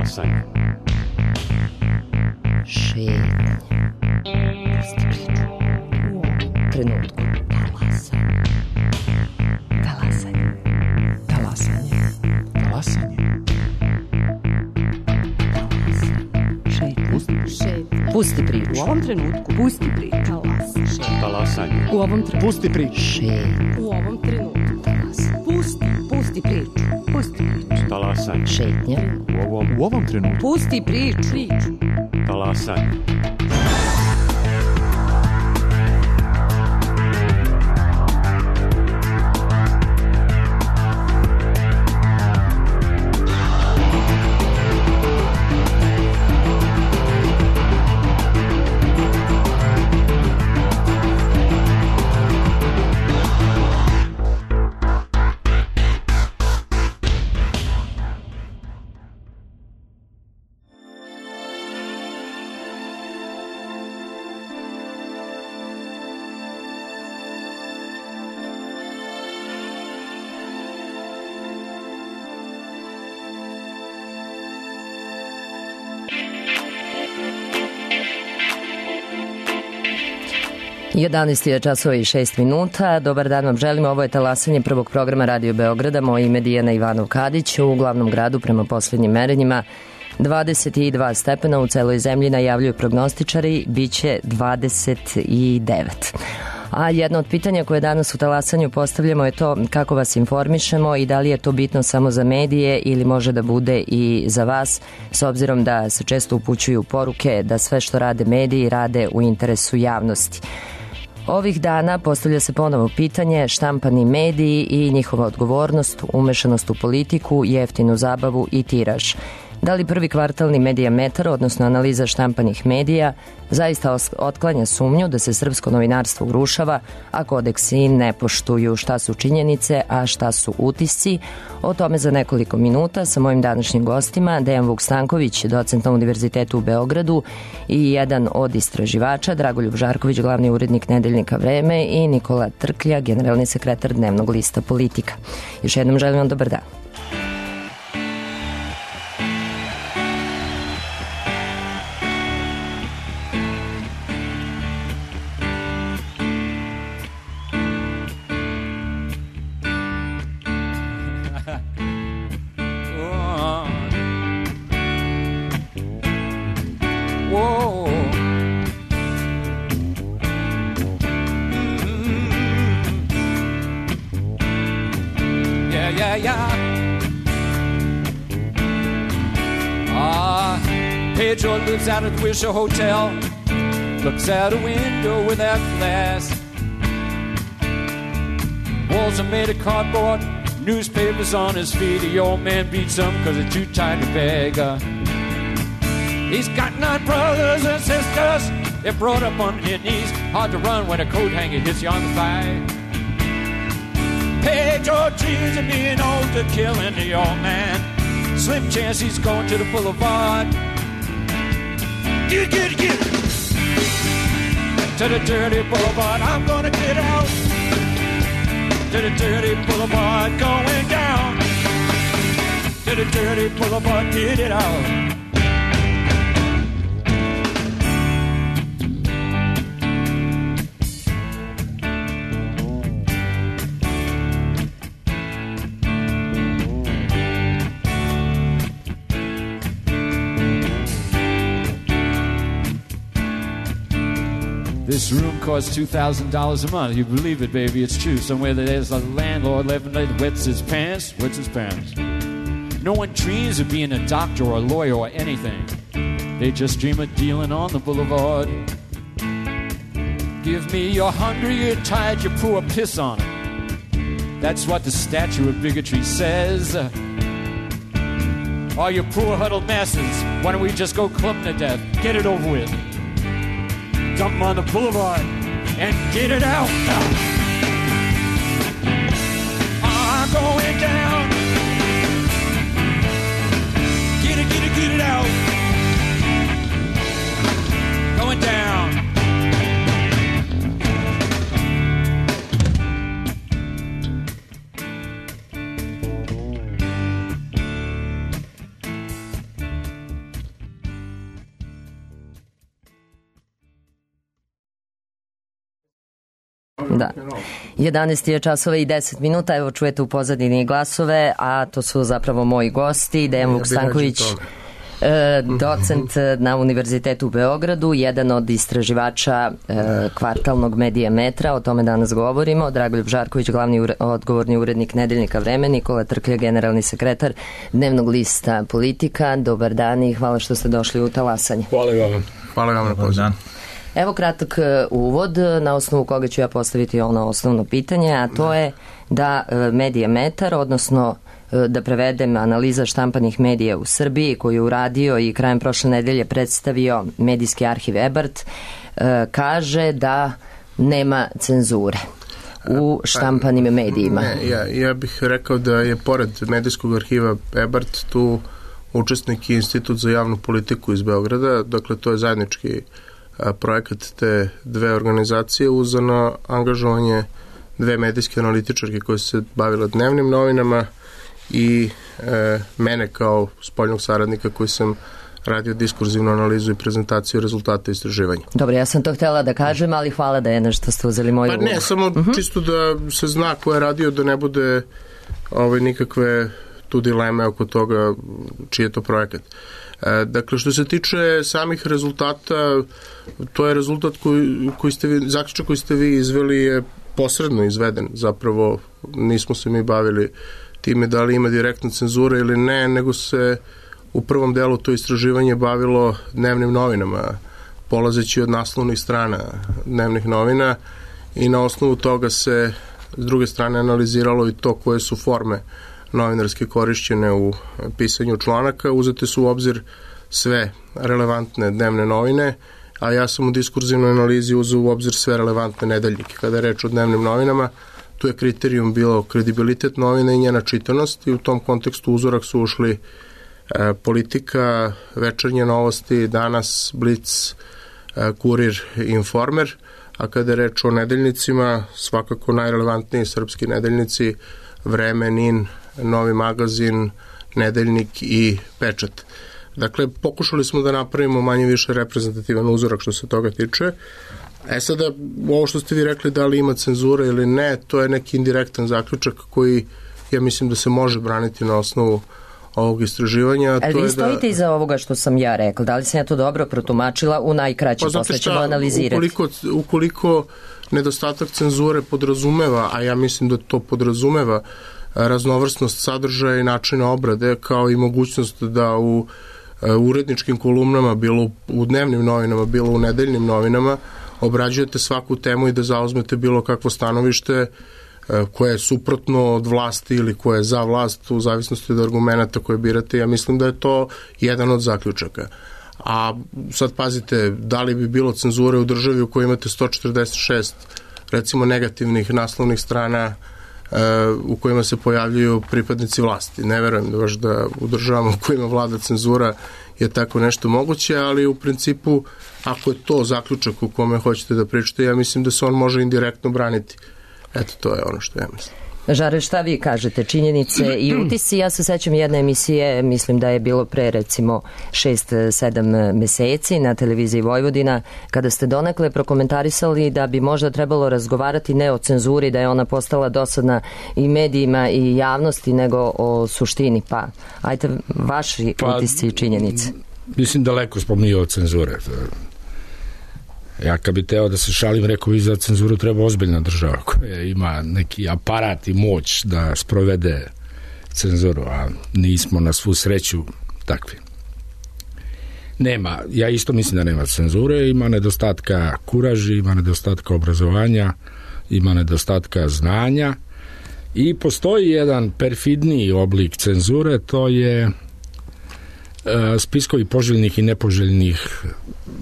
Talasanje. Šetnje. Pusti priču. U ovom trenutku. Talasanje. Talasanje. Talasanje. Talasanje. Pusti priču. U ovom trenutku. Pusti priču. Talasanje. U ovom trenutku. Pusti priču. Šetnje. U ovom trenutku. Talasanje. Pusti priču. Pusti priču. Talasanje. Šetnje. U ovom trenutku. Pusti priču. Talasanje. Je 11:06. Dobar dan vam želimo. Ovo je Talasanje prvog programa Radio Beograda. Moje ime je Dijana Ivanov Kadić. U glavnom gradu prema posljednjim merenjima 22 stepena, u celoj zemlji najavljuju prognostičari, bit će 29. A jedno od pitanja koje danas u Talasanju postavljamo je to kako vas informišemo i da li je to bitno samo za medije ili može da bude i za vas, s obzirom da se često upućuju poruke da sve što rade mediji rade u interesu javnosti. Ovih dana postavlja se ponovo pitanje štampani mediji i njihova odgovornost, umešanost u politiku, jeftinu zabavu i tiraž. Da li prvi kvartalni Medijametar, odnosno analiza štampanih medija, zaista otklanja sumnju da se srpsko novinarstvo urušava, a kodeksi ne poštuju? Šta su činjenice, a šta su utisci? O tome za nekoliko minuta sa mojim današnjim gostima, Dejan Vuk-Stanković, docent na Univerzitetu u Beogradu i jedan od istraživača, Dragoljub Žarković, glavni urednik nedeljnika Vreme i Nikola Trklja, generalni sekretar dnevnog lista Politika. Još jednom želim vam dobar dan. Pedro lives out at the Wisher Hotel, looks out a window without glass. Walls are made of cardboard, newspapers on his feet. The old man beats him cause they're too tight to beg. He's got 9 brothers and sisters, they're brought up on their knees. Hard to run when a coat hanger hits you on the thigh. Pedro dreams of being old to killing the old man. Slim chance he's going to the boulevard. Get to the dirty boulevard. I'm gonna get out to the dirty boulevard, going down to the dirty boulevard. Get it out. This room costs $2,000 a month. You believe it, baby, it's true. Somewhere there's a landlord living there that wets his pants. No one dreams of being a doctor or a lawyer or anything. They just dream of dealing on the boulevard. Give me your hunger, you're tired, you pour a piss on it. That's what the statue of bigotry says. All you poor huddled masses, why don't we just go clubbing to death? Get it over with. Dump on the boulevard and get it out. I'm going down. Get it out. Going down. Da. 11 je časova i 10 minuta, evo čujete u pozadini glasove, a to su zapravo moji gosti, Dejan Vukstanković, docent na Univerzitetu u Beogradu, jedan od istraživača kvartalnog Medijametra, o tome danas govorimo, Dragoljub Žarković, glavni odgovorni urednik Nedeljnika Vreme, Nikola Trklja, generalni sekretar Dnevnog lista Politika. Dobar dan i hvala što ste došli u talasanje. Hvala vam na pozivu. Evo kratak uvod na osnovu koga ću ja postaviti ono osnovno pitanje, a to je da Medijametar, odnosno da prevedem analiza štampanih medija u Srbiji koju je uradio i krajem prošle nedelje predstavio medijski arhiv Ebert, kaže da nema cenzure u štampanim medijima. Ja bih rekao da je pored medijskog arhiva Ebert tu učesnik i Institut za javnu politiku iz Beograda, dakle to je zajednički projekat te dve organizacije uzano angažovanje dve medijske analitičarke koje su se bavile dnevnim novinama i mene kao spoljnog saradnika koji sam radio diskurzivnu analizu i prezentaciju rezultata istraživanja. Dobro, ja sam to htjela da kažem, ali hvala da je nešto ste uzeli moju ulogu. Pa ne, samo čisto da se zna ko je radio, da ne bude nikakve tu dileme oko toga čiji je to projekat. Dakle, što se tiče samih rezultata, to je rezultat zaključak koji ste vi izveli je posredno izveden. Zapravo nismo se mi bavili time da li ima direktna cenzura ili ne, nego se u prvom delu to istraživanje bavilo dnevnim novinama, polazeći od naslovnih strana dnevnih novina i na osnovu toga se s druge strane analiziralo i to koje su forme novinarske korišćene u pisanju članaka. Uzete su u obzir sve relevantne dnevne novine, a ja sam u diskurzivnoj analizi uzeo u obzir sve relevantne nedeljnike. Kada je reč o dnevnim novinama, tu je kriterijum bilo kredibilitet novina i njena čitanost i u tom kontekstu uzorak su ušli Politika, Večernje novosti, Danas, Blic, Kurir i Informer, a kada je reč o nedeljnicima, svakako najrelevantniji srpski nedeljnici, Vreme, NIN, Novi magazin, Nedeljnik i Pečat. Dakle, pokušali smo da napravimo manje više reprezentativan uzorak što se toga tiče. Sada, ovo što ste vi rekli da li ima cenzura ili ne, to je neki indirektan zaključak koji ja mislim da se može braniti na osnovu ovog istraživanja. Ali vi stojite iza ovoga što sam ja rekla, da li sam ja to dobro protumačila u najkraći, posle ćemo analizirati. Ukoliko nedostatak cenzure podrazumeva, a ja mislim da to podrazumeva raznovrsnost sadržaja i načina obrade, kao i mogućnost da u uredničkim kolumnama, bilo u dnevnim novinama, bilo u nedeljnim novinama, obrađujete svaku temu i da zauzmete bilo kakvo stanovište koje je suprotno od vlasti ili koje je za vlast, u zavisnosti od argumenta koje birate. Ja mislim da je to jedan od zaključaka. A sad pazite, da li bi bilo cenzure u državi u kojoj imate 146 recimo negativnih naslovnih strana u kojima se pojavljuju pripadnici vlasti. Ne verujem da baš da u državama u kojima vlada cenzura je tako nešto moguće, ali u principu ako je to zaključak u kome hoćete da pričate, ja mislim da se on može indirektno braniti. Eto, to je ono što ja mislim. Žare, šta vi kažete? Činjenice i utisci? Ja se sećam jedne emisije, mislim da je bilo pre recimo 6-7 meseci na televiziji Vojvodina, kada ste donekle prokomentarisali da bi možda trebalo razgovarati ne o cenzuri, da je ona postala dosadna i medijima i javnosti, nego o suštini. Pa, ajte, vaši utisci i činjenice. Mislim, daleko smo mi od cenzure. Ja kad bi teo da se šalim, rekao bi za cenzuru treba ozbiljna država koja ima neki aparat i moć da sprovede cenzuru, a nismo na svu sreću takvi. Nema, ja isto mislim da nema cenzure, ima nedostatka kuraži, ima nedostatka obrazovanja, ima nedostatka znanja i postoji jedan perfidniji oblik cenzure, to je spiskovi poželjnih i nepoželjnih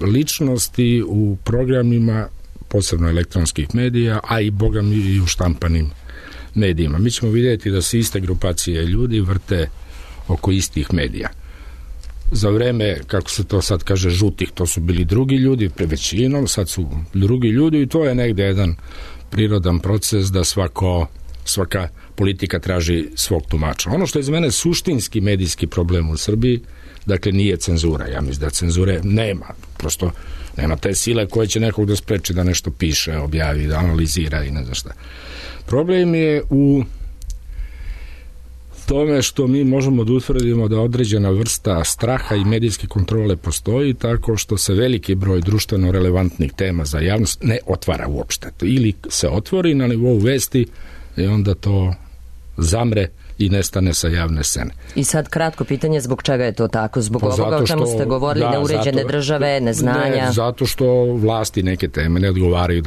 ličnosti u programima, posebno elektronskih medija, a i bogami i u štampanim medijima. Mi ćemo vidjeti da se iste grupacije ljudi vrte oko istih medija. Za vreme, kako se to sad kaže, žutih, to su bili drugi ljudi, pre većinom, sad su drugi ljudi i to je negde jedan prirodan proces da svako svaka politika traži svog tumača. Ono što je za mene suštinski medijski problem u Srbiji, dakle nije cenzura. Ja mislim da cenzure nema. Prosto nema te sile koje će nekog da spreči da nešto piše, objavi, da analizira i ne znam šta. Problem je u tome što mi možemo da utvrdimo da određena vrsta straha i medijske kontrole postoji tako što se veliki broj društveno relevantnih tema za javnost ne otvara uopšte. Ili se otvori na nivou vesti i onda to zamre i nestane sa javne scene. I sad kratko pitanje, zbog čega je to tako? Zbog ovoga o čemu ste govorili, neuređene države, neznanja? Ne, zato što vlasti neke teme ne odgovaraju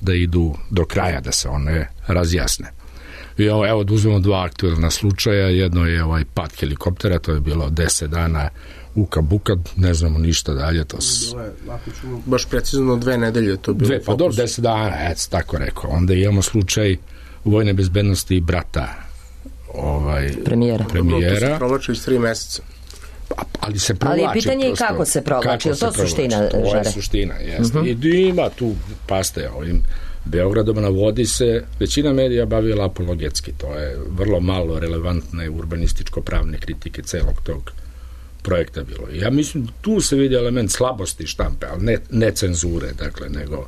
da idu do kraja, da se one razjasne. I evo da uzmemo dva aktuelna slučaja, jedno je pad helikoptera, to je bilo 10 dana uka buka, ne znamo ništa dalje. Baš precizno 2 nedelje to bilo. Pa dobro, 10 dana, tako rekao. Onda imamo slučaj vojne bezbednosti brata premijera. To se provlači iz 3 meseca. Ali se provlači. Ali je pitanje i kako se provlači, to suština, Žare? To je suština, jeste. I ima tu, paste, ovim Beogradom na vodi se većina medija bavila apologetski. To je vrlo malo relevantne urbanističko-pravne kritike celog tog projekta bilo. Ja mislim, tu se vidi element slabosti štampe, ali ne cenzure, dakle, nego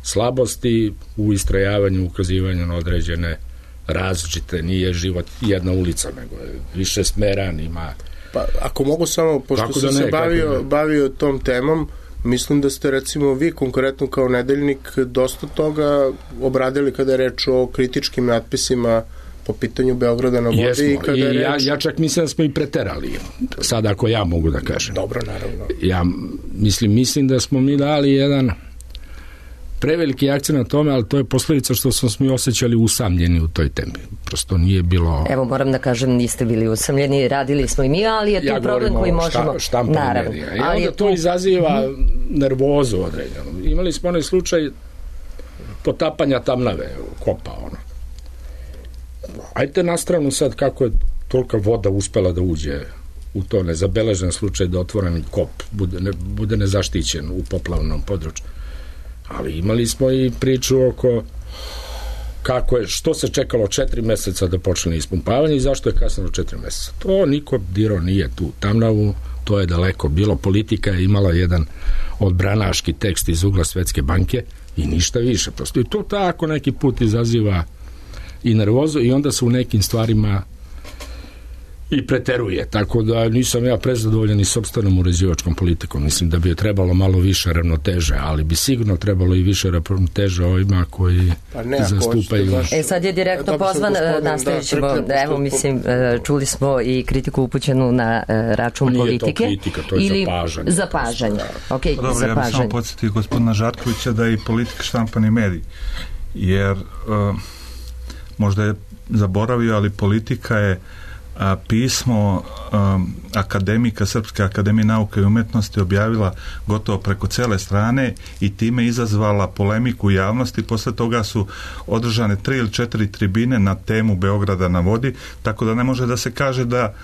slabosti u istrajavanju, ukazivanju na određene različite, nije život jedna ulica, nego je više smeran, ima... Pa, ako mogu samo, pošto sam se bavio tom temom, mislim da ste recimo vi konkretno kao nedeljnik dosta toga obradili kada je reč o kritičkim natpisima po pitanju Beograda na vodi. Jesmo, i kada je reč... ja čak mislim da smo i preterali. Sad ako ja mogu da kažem. Dobro, naravno. Ja mislim da smo mi dali jedan preveliki akcent na tome, ali to je posljedica što smo mi osjećali usamljeni u toj temi. Prosto nije bilo... Evo, moram da kažem, niste bili usamljeni, radili smo i mi, ali je to problem koji možemo... Naravno. I onda to izaziva nervozu određenu. Imali smo onaj slučaj potapanja Tamnave, kopa, Ajte na stranu sad kako je tolika voda uspela da uđe u to nezabeležen slučaj da otvoreni kop bude nezaštićen u poplavnom području. Ali imali smo i priču oko što se čekalo 4 meseca da počne ispumpavanje i zašto je kasnilo 4 meseca. To niko dirao nije tu Tamnavu, to je daleko bilo. Politika je imala jedan odbranaški tekst iz ugla Svetske banke i ništa više. Prosto i to tako neki put izaziva i nervozu i onda se u nekim stvarima i preteruje, tako da nisam ja prezadovoljan i sopstvenom uređivačkom politikom. Mislim da bi je trebalo malo više ravnoteže, ali bi sigurno trebalo i više ravnoteže ovima koji zastupaju. Sad je direktno pozvan, nastavit ćemo, čuli smo i kritiku upućenu na račun politike. Nije to kritika, to je zapažanje. Zapažanje. Okay, dobro, ja bih samo podsjetio gospodina Žarkovića da je i politika štampani medij, jer možda je zaboravio, ali politika je pismo akademika Srpske akademije nauke i umetnosti objavila gotovo preko cele strane i time izazvala polemiku u javnosti. Posle toga su održane 3 ili 4 tribine na temu Beograda na vodi, tako da ne može da se kaže da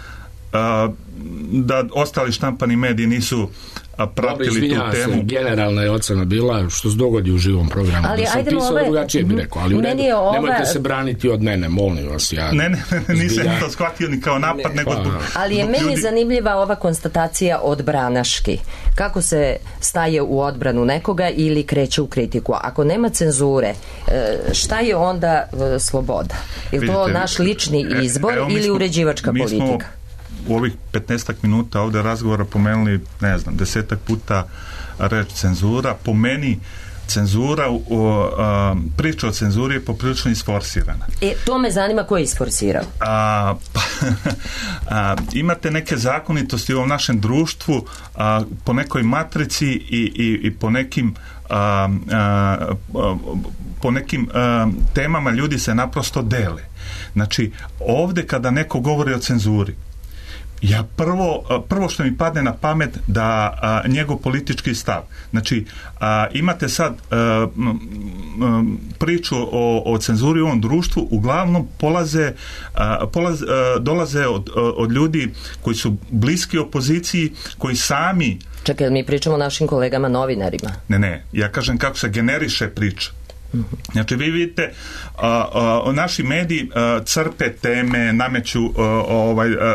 ostali štampani mediji nisu pratili tu temu. Generalna je ocena bila što se dogodi u živom programu. Ali da sam pisao drugačije bi rekao, ali nemojte se braniti od mene, molim vas. Nisam to shvatio ni kao napad, nego ali je meni zanimljiva ova konstatacija odbranaški. Kako se staje u odbranu nekoga ili kreće u kritiku? Ako nema cenzure, šta je onda sloboda? Je to naš lični izbor ili uređivačka politika? U ovih 15 minuta ovde razgovora pomenuli, 10 puta reč cenzura. Po meni cenzura, priča o cenzuri je poprilično isforsirana. To me zanima ko je isforsirao. Imate neke zakonitosti u ovom našem društvu po nekoj matrici i po nekim temama ljudi se naprosto dele. Znači, ovde kada neko govori o cenzuri, ja prvo što mi padne na pamet da njegov politički stav. Znači, imate sad priču o cenzuri u ovom društvu, uglavnom dolaze od ljudi koji su bliski opoziciji, koji sami... Čekaj, mi pričamo o našim kolegama novinarima. Ne, ja kažem kako se generiše priča. Znači, vi vidite, naši mediji crpe teme, nameću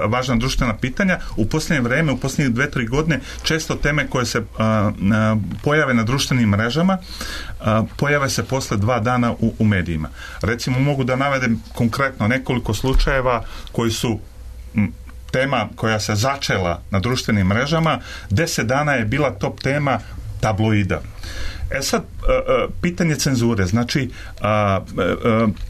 važna društvena pitanja. U posljednje vreme, u posljednjih 2-3 godine, često teme koje se pojave na društvenim mrežama, pojave se posle 2 dana u medijima. Recimo, mogu da navedem konkretno nekoliko slučajeva koji su tema koja se začela na društvenim mrežama. 10 dana je bila top tema tabloida. Sad, pitanje cenzure, znači,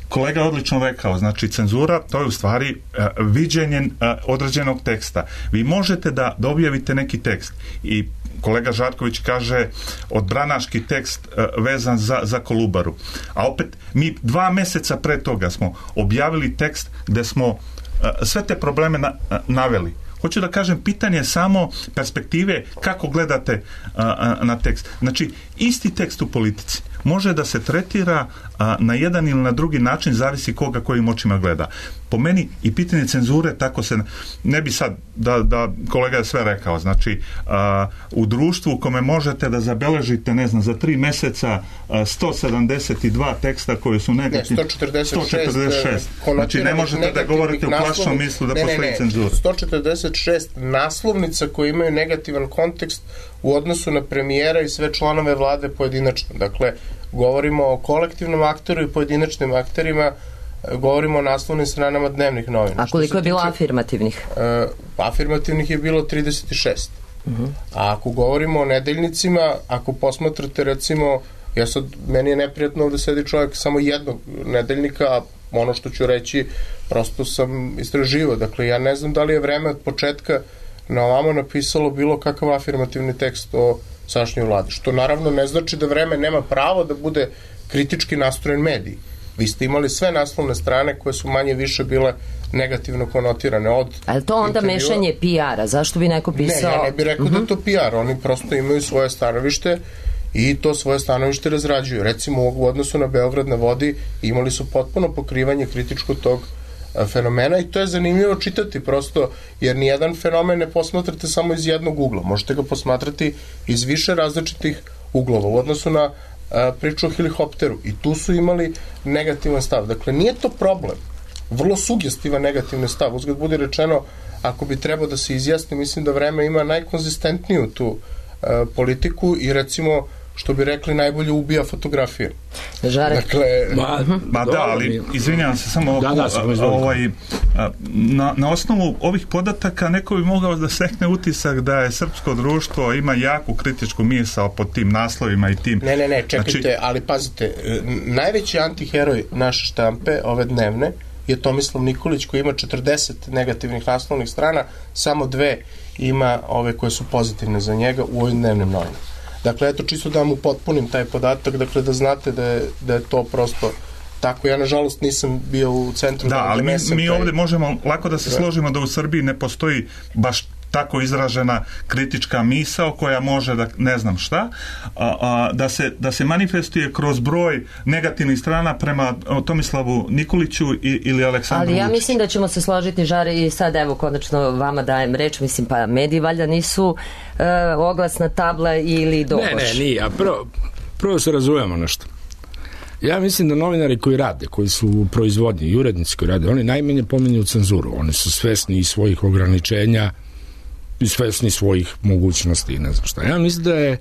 kolega je odlično rekao, znači, cenzura, to je u stvari viđenje određenog teksta. Vi možete da objavite neki tekst i kolega Žarković kaže odbranaški tekst vezan za Kolubaru. A opet, mi 2 meseca pre toga smo objavili tekst gde smo sve te probleme naveli. Hoću da kažem, pitanje je samo perspektive kako gledate na tekst. Znači, isti tekst u politici može da se tretira na jedan ili na drugi način, zavisi koga kojim očima gleda. Po meni i pitanje cenzure, tako se ne bi sad da kolega je sve rekao, znači u društvu u kome možete da zabeležite, ne znam, za 3 meseca 172 teksta koji su negativni, 146. Znači, ne možete da govorite u plašnom mislu da postoji cenzura. 146 naslovnica koje imaju negativan kontekst u odnosu na premijera i sve članove vlade pojedinačno. Dakle, govorimo o kolektivnom aktoru i pojedinačnim akterima, govorimo o naslovnim stranama dnevnih novina. A koliko je bilo afirmativnih? Afirmativnih je bilo 36. A ako govorimo o nedeljnicima, ako posmatrate, recimo, meni je neprijatno ovde sedi čovjek samo jednog nedeljnika, a ono što ću reći, prosto sam istraživao. Dakle, ja ne znam da li je vreme od početka na ovamo napisalo bilo kakav afirmativni tekst o sadašnjoj vladi. Što naravno ne znači da vreme nema pravo da bude kritički nastrojen medij. Vi ste imali sve naslovne strane koje su manje više bile negativno konotirane. A je to onda mešanje PR-a? Zašto bi neko pisao? Ne, ja ne bih rekao da je to PR. Oni prosto imaju svoje stanovište i to svoje stanovište razrađuju. Recimo, u odnosu na Beograd na vodi imali su potpuno pokrivanje kritičko tog fenomena i to je zanimljivo čitati prosto, jer nijedan fenomen ne posmatrate samo iz jednog ugla. Možete ga posmatrati iz više različitih uglova. U odnosu na priču o helikopteru i tu su imali negativan stav. Dakle, nije to problem. Vrlo sugestivan negativni stav. Uzgled budi rečeno, ako bi trebao da se izjasni, mislim da vreme ima najkonzistentniju tu politiku i recimo, što bi rekli, najbolje ubija fotografije. Žarek. Dakle, da, ali izvinjavam se samo na osnovu ovih podataka neko bi mogao da stekne utisak da je srpsko društvo ima jaku kritičku misao pod tim naslovima i tim... Ne, čekajte, znači, ali pazite, najveći antiheroj naše štampe, ove dnevne, je Tomislav Nikolić, koji ima 40 negativnih naslovnih strana, samo 2 ima ove koje su pozitivne za njega u ovim dnevnim novinama. Dakle, eto, čisto da vam upotpunim taj podatak, dakle, da znate da je to prosto tako. Ja, nažalost, nisam bio u centru. Da, ali mi ovdje možemo lako da se složimo da u Srbiji ne postoji baš tako izražena kritička misao koja može da ne znam šta, da se manifestuje kroz broj negativnih strana prema Tomislavu Nikoliću ili Aleksandru Vučiću. Ali ja mislim da ćemo se složiti, Žare, i sad evo konačno vama dajem reč, mislim, pa mediji valjda nisu oglasna tabla ili doboš. Ne, nije, a prvo se razumemo nešto. Ja mislim da novinari koji rade, koji su u proizvodnji i urednici koji rade, oni najmanje pominju cenzuru. Oni su svesni i svojih ograničenja i svesni svojih mogućnosti i ne znam šta. Ja mislim da je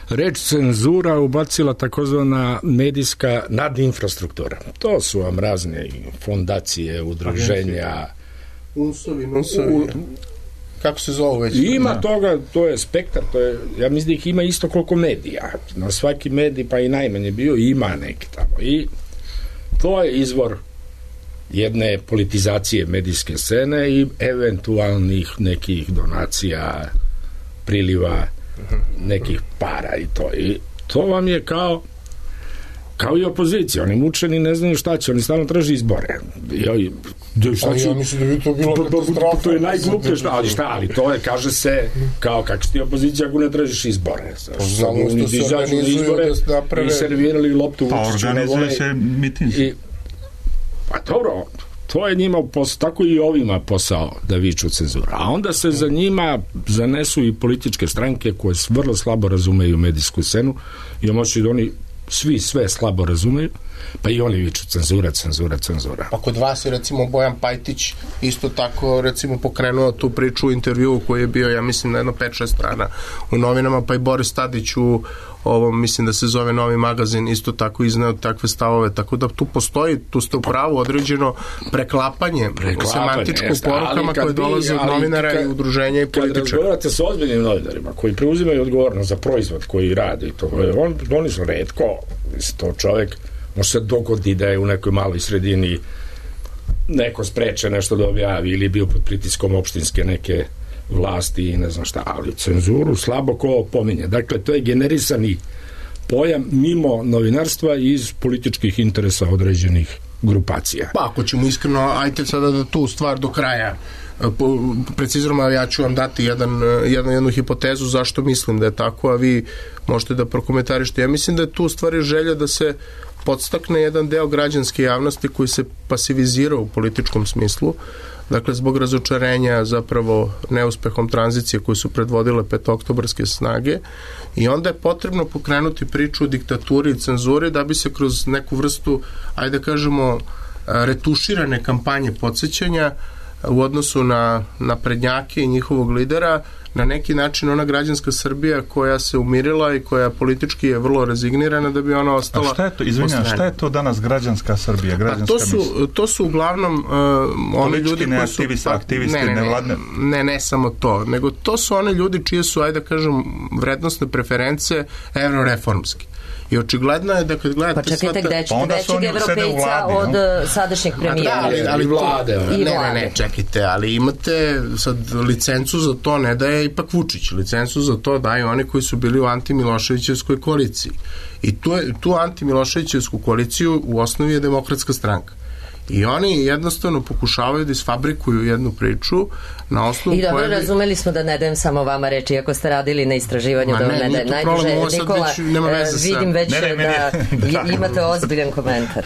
reč cenzura ubacila takozvana medijska nadinfrastruktura. To su vam razne fondacije, udruženja. Unsovi. Kako se zove već? Ima toga, to je spektar, ja mislim da ih ima isto koliko medija. Na svaki medij, pa i najmanje bio, ima neki tamo. I to je izvor jedne politizacije medijske scene i eventualnih nekih donacija, priliva nekih para i to. I to vam je kao i opozicija. Oni mučeni ne znaju šta će, oni stalno traže izbore. Ja mislim da bi to bilo katastrofa. To je najgluplje ali to je, kaže se, kao kako si ti opozicija ako ne tražiš izbore. Znamo što se organizuju da naprave... I servirali loptu u Vučiću. Pa organizuje se mitinzi. Pa dobro, to je njima posao, tako i ovima posao da viču cenzura. A onda se za njima zanesu i političke stranke koje vrlo slabo razumeju medijsku scenu i moći da oni svi sve slabo razumeju, pa i oni viču cenzura. Pa kod vas je recimo Bojan Pajtić isto tako recimo pokrenuo tu priču u intervjuu koji je bio, ja mislim, na jedno 5-6 strana u novinama, pa i Boris Tadić u ovom, mislim da se zove Novi magazin, isto tako izneo takve stavove, tako da tu postoji, tu ste u pravu, određeno preklapanje semantičko porukama koje dolaze od novinara i udruženja i političara. Kad razgovarate sa ozbiljnim novinarima koji preuzimaju odgovornost za proizvod koji radi, oni su retko, to čovjek može se dogodi da je u nekoj maloj sredini neko spreče nešto da objavi ili je bio pod pritiskom opštinske neke vlasti i ne znam šta, ali cenzuru slabo ko pominje. Dakle, to je generisani pojam mimo novinarstva iz političkih interesa određenih grupacija. Pa, ako ćemo iskreno, ajte sada da tu stvar do kraja preciziramo, ja ću vam dati jednu hipotezu zašto mislim da je tako, a vi možete da prokomentarište. Ja mislim da je tu u stvari želja da se podstakne jedan deo građanske javnosti koji se pasivizira u političkom smislu, dakle zbog razočarenja zapravo neuspehom tranzicije koje su predvodile petooktobarske snage, i onda je potrebno pokrenuti priču o diktaturi i cenzuri da bi se kroz neku vrstu, ajde kažemo, retuširane kampanje podsjećanja u odnosu na naprednjake i njihovog lidera, na neki način ona građanska Srbija koja se umirila i koja politički je vrlo rezignirana, da bi ona ostala. A šta je to, izvinjam, šta je to danas građanska Srbija? To su uglavnom oni ljudi koji su aktivisti, nevladne. Ne samo to, nego to su oni ljudi čije su, ajde kažem, vrednostne preference evroreformski. I očigledno je da kad gledate... Pa čekajte, gde ćete većeg evropejca od sadašnjeg premijera? Ali vlade. Ne, čekajte, ali imate sad licencu za to, ne daje ipak Vučić, licencu za to daju oni koji su bili u antimiloševićevskoj koaliciji. I tu antimiloševićevsku koaliciju u osnovi je Demokratska stranka. I oni jednostavno pokušavaju da isfabrikuju jednu priču na osnovu koje... I dobro, razumeli smo da ne dajem samo vama reči, iako ste radili na istraživanju da ne dajem najduže. Nikola, vidim već da imate ozbiljan komentar.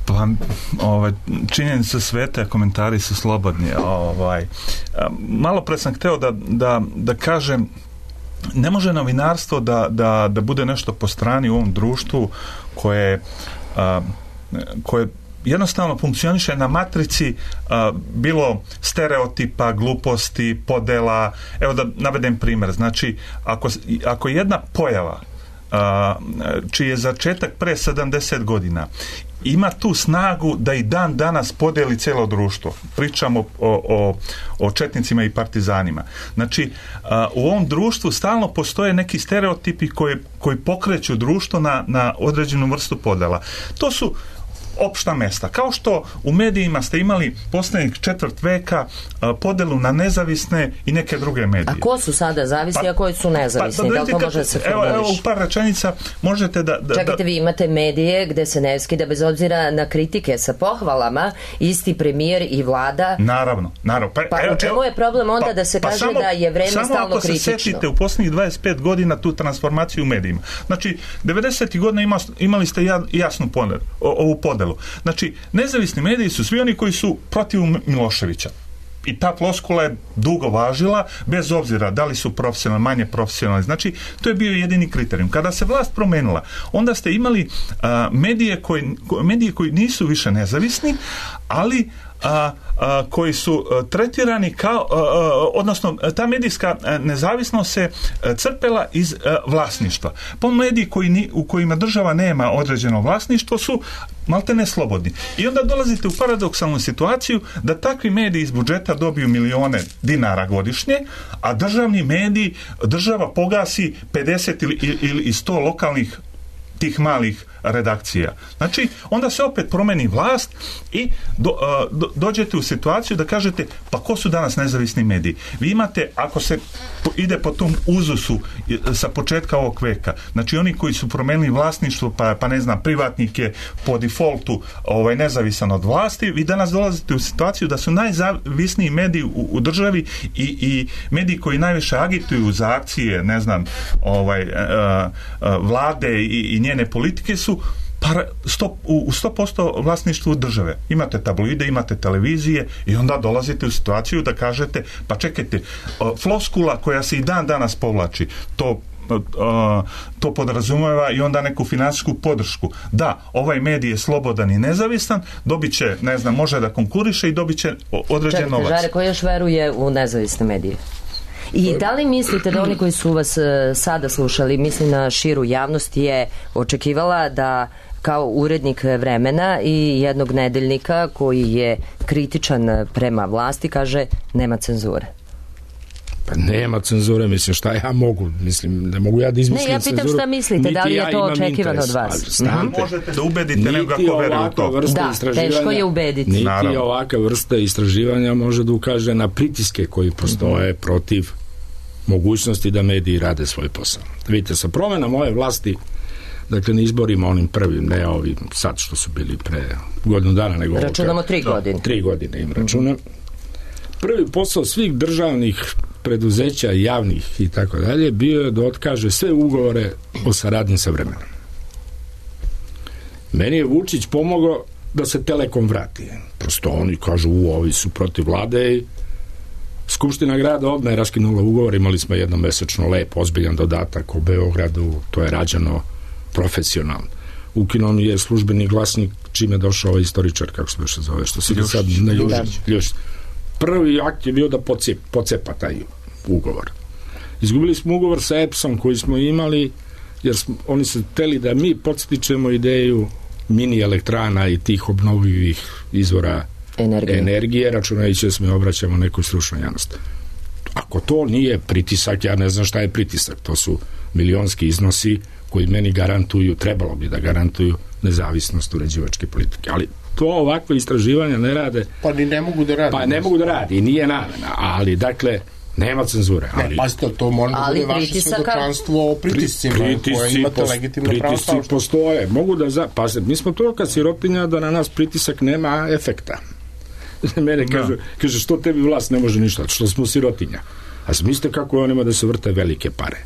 Pa, činjenica sveta, komentari su slobodni. Malo pre sam hteo da kažem, ne može novinarstvo da bude nešto po strani u ovom društvu koje jednostavno funkcioniše na matrici bilo stereotipa, gluposti, podela. Evo da navedem primjer. Znači, ako jedna pojava čiji je začetak pre 70 godina ima tu snagu da i dan danas podeli cijelo društvo. Pričamo o četnicima i partizanima. Znači, u ovom društvu stalno postoje neki stereotipi koji pokreću društvo na određenu vrstu podela. To su opšta mesta. Kao što u medijima ste imali posljednjeg 4. veka podelu na nezavisne i neke druge medije. A ko su sada zavisni, a koji su nezavisni? Da li to može da se formuliš? Evo, u par rečenica možete da... Čekajte, vi imate medije gde se ne skida bez obzira na kritike sa pohvalama, isti premijer i vlada. Naravno. Pa u čemu je problem onda da se kaže da je vreme stalno kritično? Samo ako se setite u posljednjih 25 godina tu transformaciju u medijima. Znači, 90. godina imali ste jasnu ovu podelu. Znači, nezavisni mediji su svi oni koji su protiv Miloševića. I ta floskula je dugo važila, bez obzira da li su profesionalni, manje profesionalni. Znači, to je bio jedini kriterijum. Kada se vlast promenila, onda ste imali medije koji nisu više nezavisni, ali koji su tretirani kao, odnosno ta medijska nezavisnost se crpela iz vlasništva. Po mediji u kojima država nema određeno vlasništvo su maltene slobodni. I onda dolazite u paradoksalnu situaciju da takvi mediji iz budžeta dobiju milione dinara godišnje, a državni mediji država pogasi 50 ili 100 lokalnih tih malih redakcija. Znači, onda se opet promeni vlast i dođete u situaciju da kažete, pa ko su danas nezavisni mediji? Vi imate, ako se ide po tom uzusu sa početka ovog veka, znači oni koji su promenili vlasništvo, pa ne znam, privatnik je po defaultu nezavisan od vlasti, vi danas dolazite u situaciju da su najzavisniji mediji u državi i mediji koji najviše agituju za akcije, ne znam, vlade i njene politike su u 100% vlasništvu države. Imate tabloide, imate televizije i onda dolazite u situaciju da kažete, pa čekajte, floskula koja se i dan danas povlači, to to podrazumeva i onda neku finansijsku podršku. Da, ovaj medij je slobodan i nezavistan, dobit će, ne znam, može da konkuriše i dobit će određen novac. Žare, ko još veruje u nezavisne medije? I da li mislite da oni koji su vas sada slušali, mislim na širu javnost, je očekivala da kao urednik Vremena i jednog nedeljnika koji je kritičan prema vlasti kaže nema cenzure? Pa nema cenzure, mislim, šta ja mogu? Mislim, ne mogu ja da izmislim cenzuru. Ne, ja pitam šta mislite, da li je to očekivano od vas? Možete da ubedite nego ako veruje u to. Da, teško je ubediti. Niti ovaka vrsta istraživanja može da ukaže na pritiske koji postoje protiv mogućnosti da mediji rade svoj posao. Vidite, sa promenom ove vlasti, dakle, ne izborima onim prvim, ne ovim sad što su bili pre godinu dana, nego računamo 3 godine. 3 godine im računam. Prvi posao svih državnih preduzeća, javnih i tako dalje, bio je da otkaže sve ugovore o saradnji sa Vremenom. Meni je Vučić pomogao da se Telekom vrati. Prosto oni kažu, ovi su protiv vlade i Skupština grada odmah je raskinula ugovor, imali smo jednomesečno lep, ozbiljan dodatak u Beogradu, to je rađeno profesionalno. Ukinuo je službeni glasnik čime je došao ovaj istoričar, kako se više zove, što se sad ne Ljušić. Prvi akt je bio da pocepa taj ugovor. Izgubili smo ugovor sa EPS-om koji smo imali, jer oni su hteli da mi podstičemo ideju mini elektrana i tih obnovljivih izvora energije, računajući da smo obraćamo nekoj stručnoj javnosti. Ako to nije pritisak, ja ne znam šta je pritisak. To su milionski iznosi koji meni garantuju, trebalo bi da garantuju nezavisnost uređivačke politike. Ali to ovakve istraživanja ne rade. Pa ni ne mogu da rade. Pa ne mogu da radi i nije namena. Ali, dakle, nema cenzure. Ne, pazite, to može da bude vaše svedočanstvo o pritiscima koje imate legitimno pravo stavšta. Pritisci postoje. Mogu da pazite, mi smo to kad sirotinja da na nas pritisak nema efekta. Mene kaže, što tebi vlast ne može ništa, što smo sirotinja. A mislite kako on ima da se vrte velike pare?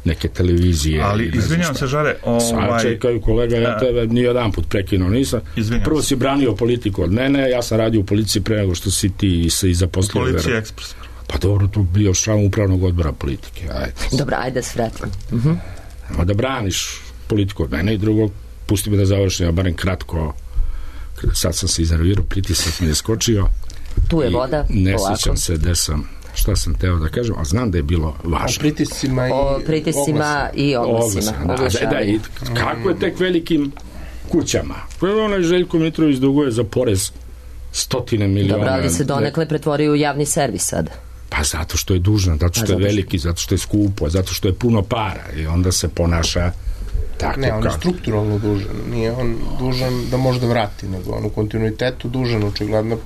Neke televizije. Ali, izvinjam se, Žare, sad čekaju, kolega, ja tebe nijedan put prekinuo nisam. Prvo si branio politiku od mene, ja sam radio u policiji pre nego što si ti se i zaposlio. Policija Ekspres. Pa dobro, tu bio član upravnog odbora politike. Dobro, ajde da se vratim. Ama da braniš politiku od mene i drugo, pusti me da završim, ja barem kratko. Sad sam se iznervirao, pritisak mi je skočio. Tu je voda, ne sjećam se gde sam, šta sam teo da kažem, ali znam da je bilo važno. O pritiscima i oglasima. Kako je tek velikim kućama? Onaj Željko Mitrović duguje za porez 100 miliona. Dobro, ali se donekle pretvorio u javni servis sad. Pa zato što je dužan, zato što je veliki, zato što je skupo, zato što je puno para i onda se ponaša tako. Ne, on je strukturalno dužan. Nije on dužan da može da vrati, nego on u kontinuitetu dužan, očigledno,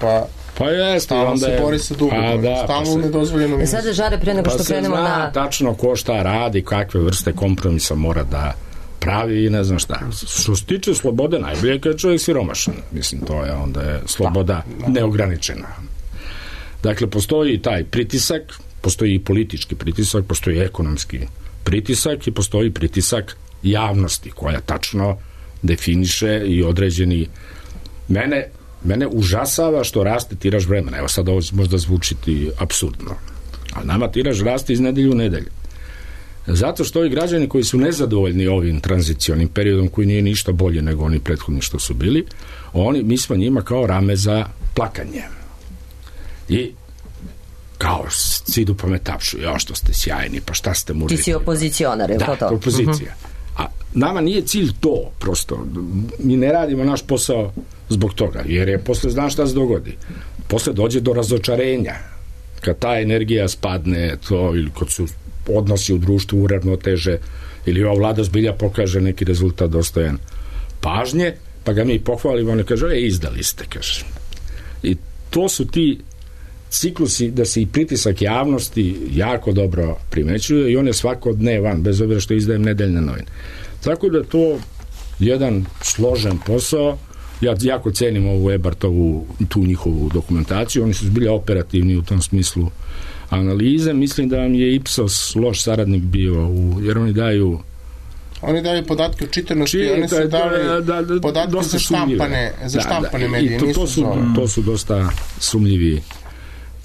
pa jeste, stalno se bori sa dugom. Stalno u nedozvoljenom minusu. Sada, Žare, pre nego što krenemo na... Pa se zna tačno ko šta radi, kakve vrste kompromisa mora da pravi i ne znam šta. Što se tiče slobode, najbolje kad je čovjek siromašan. Mislim, to je onda je sloboda neograničena. Dakle, postoji taj pritisak, postoji i politički pritisak, postoji ekonomski pritisak i postoji pritisak javnosti koja tačno definiše i određeni... Mene užasava što raste tiraž Vremena. Evo sad ovo možda zvučiti apsurdno. Ali nama tiraž raste iz nedelju u nedelju. Zato što ovi građani koji su nezadovoljni ovim tranzicionim periodom koji nije ništa bolje nego oni prethodni što su bili, mi smo njima kao rame za plakanje. I kao cidu pa me tapšu, što ste sjajni, pa šta ste mužiti. Ti si opozicionar, je to to? Da, opozicija. A nama nije cilj to, prosto. Mi ne radimo naš posao zbog toga, jer je posle, znaš šta se dogodi? Posle dođe do razočarenja. Kad ta energija spadne, to, ili kad su odnosi u društvu uravnoteže, ili ova vlada zbilja pokaže neki rezultat dostojan pažnje, pa ga mi pohvalimo, on kaže, izdali ste, kaže. I to su ti ciklusi da se i pritisak javnosti jako dobro primećuje i on je svakodnevan, bez obzira što izdajem nedeljne novine. Tako da to jedan složen posao. Ja jako cenim ovu Ebartovu, tu njihovu dokumentaciju, oni su zbilja operativni u tom smislu analize. Mislim da vam je Ipsos loš saradnik bio, jer oni daju podatke o čitanosti, oni su dali podatke za štampane medije. To su dosta sumljivi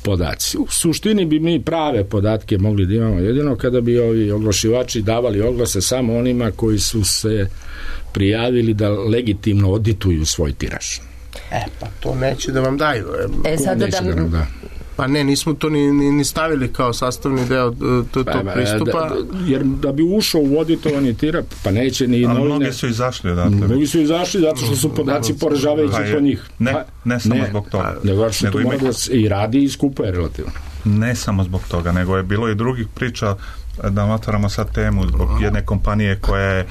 podaci. U suštini bi mi prave podatke mogli da imamo jedino kada bi ovi oglašivači davali oglase samo onima koji su se prijavili da legitimno odituju svoj tiraž. Pa to neće da vam daju. Sada Pa ne, nismo to ni stavili kao sastavni deo tog pristupa. Jer da bi ušao u auditovani tiraž, pa neće ni novine. Ali mnogi su izašli odatle. Mnogi su izašli zato što su podaci poražavajući po njih. Ne samo zbog toga. Nego što to mora da se i radi i skupa je relativno. Ne samo zbog toga, nego je bilo i drugih priča, da otvaramo sad temu zbog jedne kompanije koja je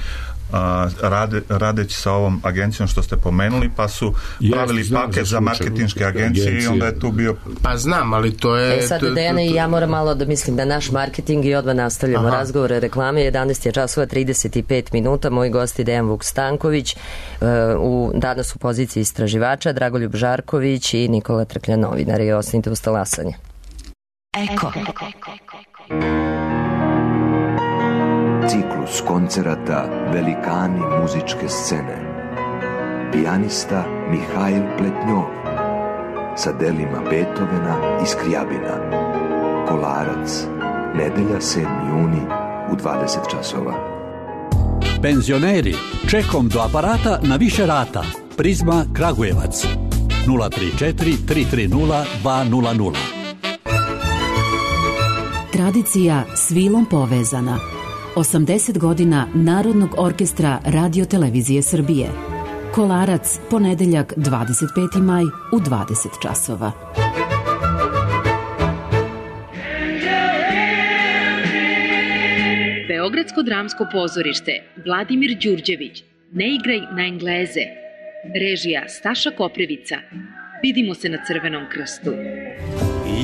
radeći sa ovom agencijom što ste pomenuli, pa su pravili paket za marketinške agencije i onda je tu bio... Pa znam, ali to je... Sad, Dejana, i ja moram malo da mislim da naš marketing i odmah nastavljamo razgovore, reklame, 11 je časova 35 minuta, moji gosti Dejan Vuk-Stanković, danas u poziciji istraživača, Dragoljub Žarković i Nikola Trklja, novinari. Ostanite uz talasanje. Eko. Ciklus koncerata Velikani muzičke scene. Pijanista Mihajl Pletnjov sa delima Beethovena i Skrijabina. Kolarac, nedelja 7. juni u 20 časova. Penzioneri, čekom do aparata na više rata. Prizma Kragujevac 034 330 200. Tradicija s vilom povezana. 80 godina Narodnog orkestra Radio Televizije Srbije. Kolarac, ponedeljak 25. maj u 20 časova. Beogradsko dramsko pozorište, Vladimir Đurđević, Ne igraj na Engleze. Režija Staša Koprivica. Vidimo se na Crvenom krstu.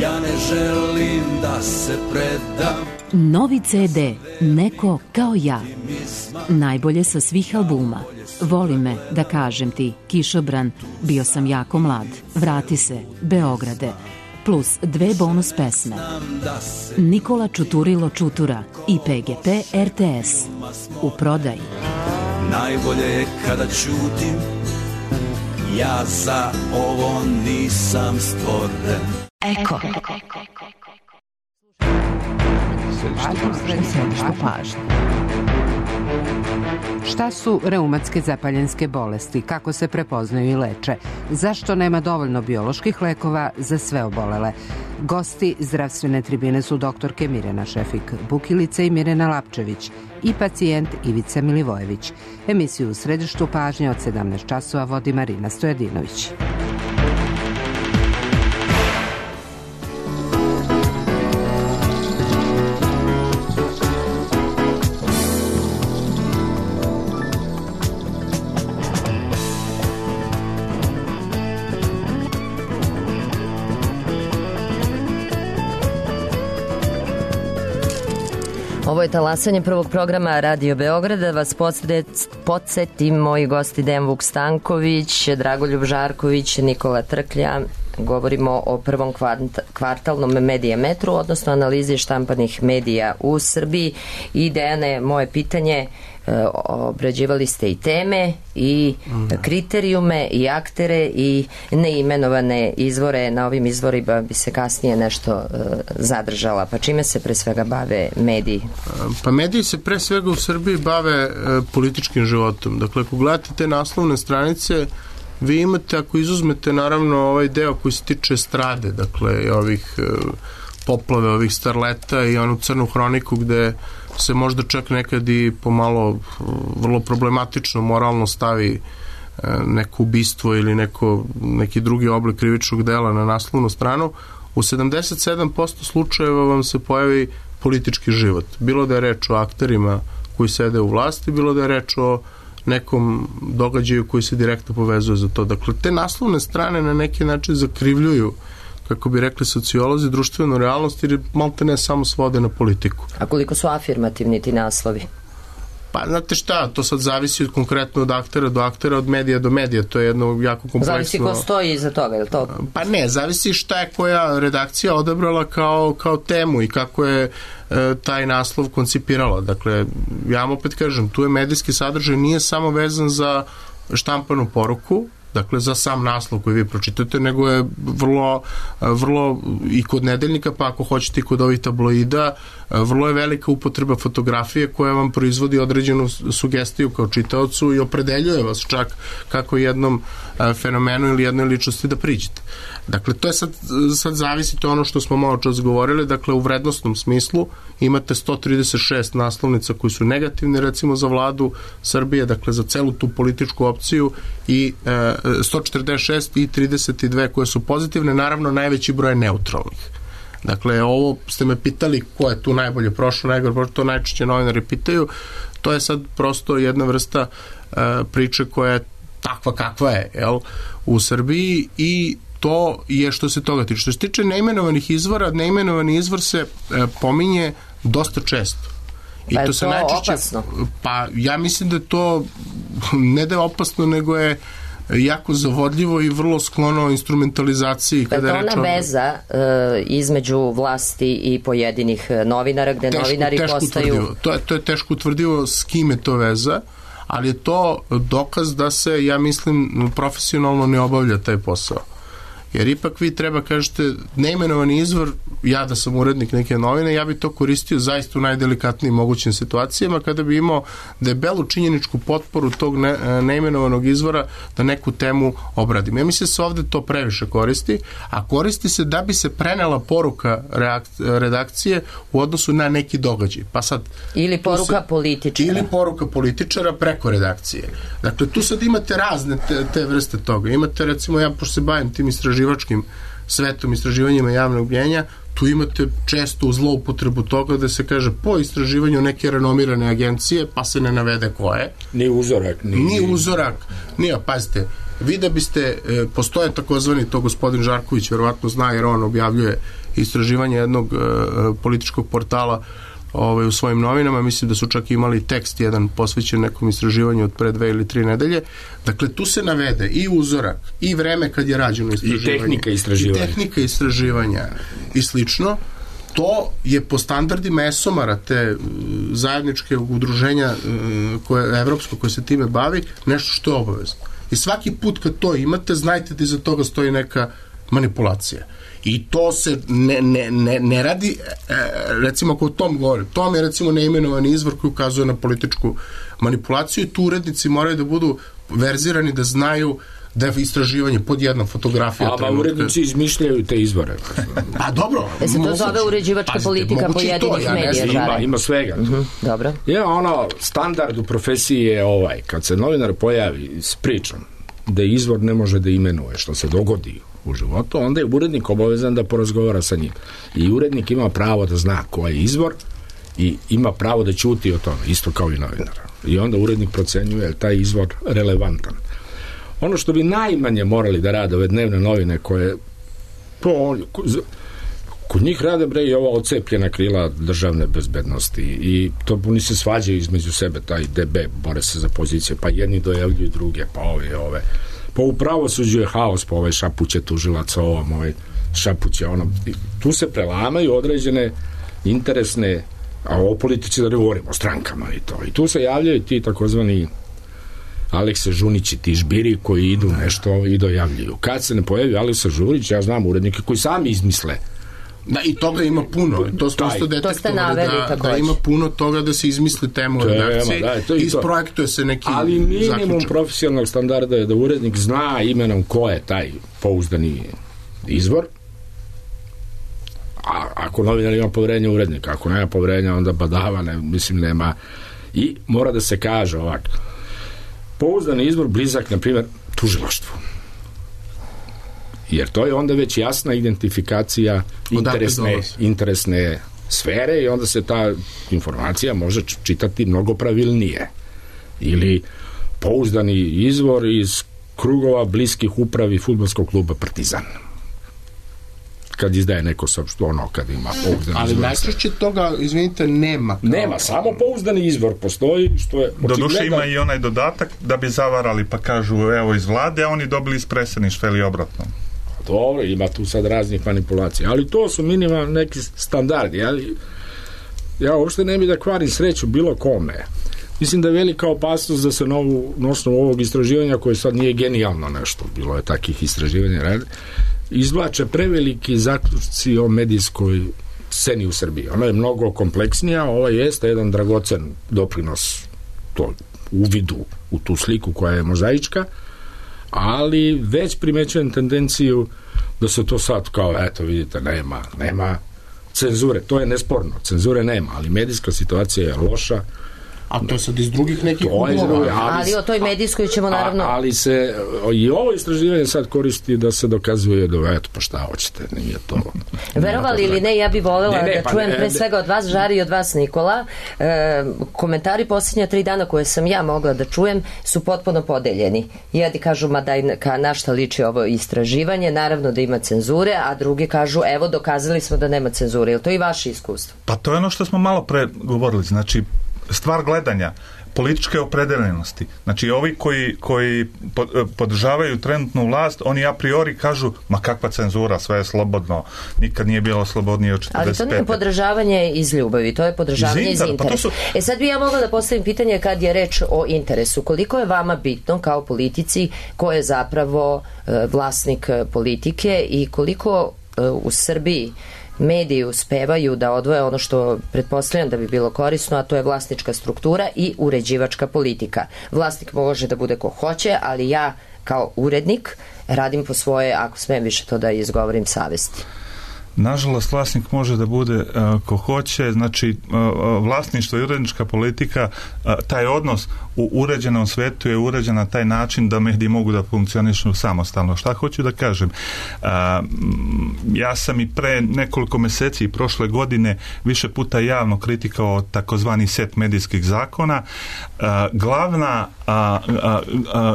Ja ne želim da se predam. Novi CD Neko kao ja. Najbolje sa svih albuma. Voli me, da kažem ti, Kišobran, Bio sam jako mlad, Vrati se, Beograde, plus 2 bonus pesme. Nikola Čuturilo Čutura i PGP RTS. U prodaji. Najbolje je kada ćutim, ja za ovo nisam stvoren. Eko. Središte pažnje. Šta su reumatske zapaljenske bolesti, kako se prepoznaju i leče, zašto nema dovoljno bioloških lekova za sve obolele? Gosti zdravstvene tribine su doktorke Mirjana Šefik-Bukilica i Mirjana Lapčević i pacijent Ivica Milivojević. Emisiju u središtu pažnje od 17 časova vodi Marina Stojadinović. Ovo je talasanje prvog programa Radio Beograda. Da vas podsjetim, moji gosti Dejan Vuk-Stanković, Dragoljub Žarković, Nikola Trklja. Govorimo o prvom kvartalnom medijametru, odnosno analizi štampanih medija u Srbiji. I Dejane, moje pitanje, obrađivali ste i teme i kriterijume i aktere i neimenovane izvore. Na ovim izvorima bi se kasnije nešto zadržala. Pa čime se pre svega bave mediji? Pa mediji se pre svega u Srbiji bave političkim životom. Dakle, ako gledate te naslovne stranice, vi imate, ako izuzmete naravno ovaj deo koji se tiče estrade, dakle ovih poplave, ovih starleta i onu crnu hroniku gde se možda čak nekad i pomalo vrlo problematično moralno stavi neko ubistvo ili neki drugi oblik krivičnog dela na naslovnu stranu, u 77% slučajeva vam se pojavi politički život. Bilo da je reč o akterima koji sede u vlasti, bilo da je reč o nekom događaju koji se direktno povezuje za to. Dakle, te naslovne strane na neki način zakrivljuju, kako bi rekli sociolozi, društvenu realnost, jer malte ne samo svode na politiku. A koliko su afirmativni ti naslovi? Pa, znate šta, to sad zavisi konkretno od aktera do aktera, od medija do medija, to je jedno jako kompleksno... Zavisi ko stoji iza toga, je li to? Pa ne, zavisi šta je koja redakcija odabrala kao temu i kako je taj naslov koncipirala. Dakle, ja vam opet kažem, tu je medijski sadržaj nije samo vezan za štampanu poruku, dakle za sam naslov koji vi pročitate, nego je vrlo i kod nedeljnika, pa ako hoćete i kod ovih tabloida, vrlo je velika upotreba fotografije koja vam proizvodi određenu sugestiju kao čitaocu i opredeljuje vas čak kako jednom fenomenu ili jednoj ličnosti da priđete. Dakle, to je sad zavisi, to ono što smo malo čas govorili, dakle u vrednostnom smislu imate 136 naslovnica koji su negativni recimo za vladu Srbije, dakle za celu tu političku opciju i 146 i 32 koje su pozitivne, naravno najveći broj neutralnih. Dakle, ovo ste me pitali ko je tu najbolje prošlo, najgore prošlo, to najčešće novinari pitaju, to je sad prosto jedna vrsta priče koja je takva kakva je, u Srbiji i to je što se toga tiče. Što se tiče neimenovanih izvora, neimenovani izvor se pominje dosta često. I pa je to se najčešće, opasno? Pa ja mislim da je to ne da je opasno, nego je jako zavodljivo i vrlo sklono instrumentalizaciji. Pa je to ona veza između vlasti i pojedinih novinara, gde novinari postaju... To je teško utvrdivo s kim je to veza, ali je to dokaz da se, ja mislim, profesionalno ne obavlja taj posao. Jer ipak vi treba kažete neimenovani izvor, ja da sam urednik neke novine, ja bi to koristio zaista u najdelikatnijim mogućim situacijama kada bi imao debelu činjeničku potporu tog neimenovanog izvora da neku temu obradim. Ja mislim da se ovde to previše koristi, a koristi se da bi se prenela poruka redakcije u odnosu na neki događaj. Pa sad, ili poruka političara. Ili poruka političara preko redakcije. Dakle, tu sad imate razne te vrste toga. Imate, recimo, ja pošto se bavim tim istraživačkim svetom, istraživanjima javnog mnjenja, tu imate često zloupotrebu toga da se kaže po istraživanju neke renomirane agencije, pa se ne navede ko je. Ni uzorak. Ni uzorak. Pazite, vi da biste, postoje takozvani, to gospodin Žarković verovatno zna, jer on objavljuje istraživanje jednog političkog portala u svojim novinama, mislim da su čak imali tekst jedan posvećen nekom istraživanju od pre 2 ili 3 nedelje. Dakle, tu se navede i uzorak, i vreme kad je rađeno istraživanje. I tehnika istraživanja. I slično. To je po standardima ESOMAR-a, te zajedničke udruženja evropsko koje se time bavi, nešto što je obavezno. I svaki put kad to imate, znajte da iza toga stoji neka manipulacija. I to se ne radi, recimo ako o tom govorim, tom je recimo neimenovani izvor koji ukazuje na političku manipulaciju i tu urednici moraju da budu verzirani, da znaju da je istraživanje pod jednom fotografijom. A urednici izmišljaju te izvore. Pa dobro. Se to zove uređivačka politika pojedinih medija. Ima svega. Dobro. Standard u profesiji je kad se novinar pojavi s pričom da izvor ne može da imenuje što se dogodi u životu, onda je urednik obavezan da porazgovara sa njim. I urednik ima pravo da zna ko je izvor i ima pravo da ćuti o tome, isto kao i novinar. I onda urednik procenjuje je taj izvor relevantan. Ono što bi najmanje morali da rade ove dnevne novine koje kod njih rade i ova ocepljena krila državne bezbednosti i to oni se svađaju između sebe, taj DB bore se za pozicije, pa jedni dojavljuju druge, pa ove pa u pravosuđu je haos, pa ove šapuće tužilaca ovom, šapuće onom, tu se prelamaju određene interesne, a o politici da ne govorimo, o strankama i to, i tu se javljaju ti takozvani Alekse Žunići, ti žbiri koji idu nešto i dojavljuju. Kad se ne pojavi Aleksa Žunić, ja znam urednike koji sami izmisle. Da, i toga ima puno. To smo isto detektovali da ima puno toga da se izmisli temu u redakciji. Isprojektuje se neki zaključak. Ali minimum profesionalnog standarda je da urednik zna imenom ko je taj pouzdani izvor. A ako novinar ima poverenja urednika, ako nema poverenja, onda badava, nema. I mora da se kaže ovako. Pouzdani izvor blizak, na primjer, tužilaštvu. Jer to je onda već jasna identifikacija interesne sfere i onda se ta informacija može čitati mnogo pravilnije. Ili pouzdani izvor iz krugova bliskih upravi fudbalskog kluba Partizan. Kad izdaje neko kad ima pouzdani izvor. Ali najčešće toga, izvinite, nema. Nema, samo pouzdani izvor postoji, što je doduše ima i onaj dodatak da bi zavarali, pa kažu evo iz vlade, a oni dobili iz predsjedništva ili obratno. Dobro, ima tu sad raznih manipulacija, ali to su minimalni neki standardi, ja uopšte ne bi da kvarim sreću bilo kome. Mislim da je velika opasnost da se na osnovu ovog istraživanja, koje sad nije genijalno nešto, bilo je takih istraživanja, izvlače preveliki zaključci o medijskoj sceni u Srbiji. Ona je mnogo kompleksnija, ovo jeste jedan dragocen doprinos to uvidu u tu sliku koja je mozaička, ali već primećujem tendenciju da se to sad kao, eto vidite, nema cenzure, to je nesporno, cenzure nema, ali medijska situacija je loša. A to je sad iz drugih nekih uglova. Ali o toj medijskoj ćemo naravno... Ali se i ovo istraživanje sad koristi da se dokazuje da, eto, pa šta hoćete, nije to... Verovali ili ne, ja bih voljela da čujem pre svega od vas, Žari, i od vas, Nikola. Komentari posljednja 3 dana koje sam ja mogla da čujem su potpuno podeljeni. Jedni kažu, ma daj, na šta liči ovo istraživanje, naravno da ima cenzure, a drugi kažu, evo, dokazali smo da nema cenzure. Je li to i vaše iskustvo? Pa to je ono što smo malo pre govorili, znači stvar gledanja, političke opredeljenosti. Znači, ovi koji podržavaju trenutnu vlast, oni a priori kažu, ma kakva cenzura, sve je slobodno, nikad nije bilo slobodnije od 45. Ali to nije podržavanje iz ljubavi, to je podržavanje iz interesa. Sad bi ja mogla da postavim pitanje kad je reč o interesu. Koliko je vama bitno kao politici ko je zapravo vlasnik politike i koliko u Srbiji mediji uspevaju da odvoje ono što pretpostavljam da bi bilo korisno, a to je vlasnička struktura i uređivačka politika. Vlasnik može da bude ko hoće, ali ja kao urednik radim po svoje, ako smijem više to da izgovorim, savesti. Nažalost, vlasnik može da bude ko hoće, znači vlasništvo i urednička politika, taj odnos u uređenom svetu je uređen na taj način da mediji mogu da funkcionišu samostalno. Šta hoću da kažem? Ja sam i pre nekoliko meseci i prošle godine više puta javno kritikao takozvani set medijskih zakona.